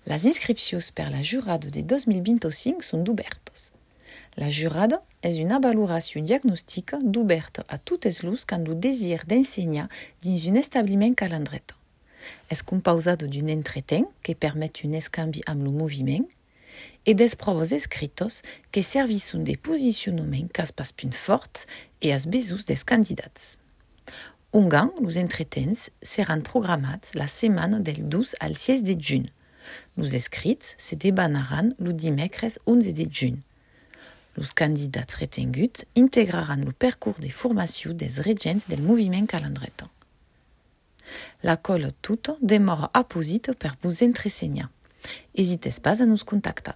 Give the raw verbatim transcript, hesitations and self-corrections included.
Las inscripcions per la jurada de dos mil vint-e-cinc son dubèrtas. La jurada es una valoracion diagnostica dubèrta a totes los qu'an lo desir d'ensenhar dins un establiment Calandreta. Es compausada d'un entretemps que permet un escambi amb lo moviment e d'espròvas escritas que servisson de posicionament qu'as pas punt fòrt e as besonhs dels candidats. Ongan, los entretemps seràn programats la setmana del dos al sièis de junh. Los escrits se debanaràn lo dimècres onze de junh. Los candidats retenguts integraràn lo percors de formacion dels regents del moviment Calandreta. La còla tota demòra aposita per vos entresenhar. Esitetz pas a nos contactar.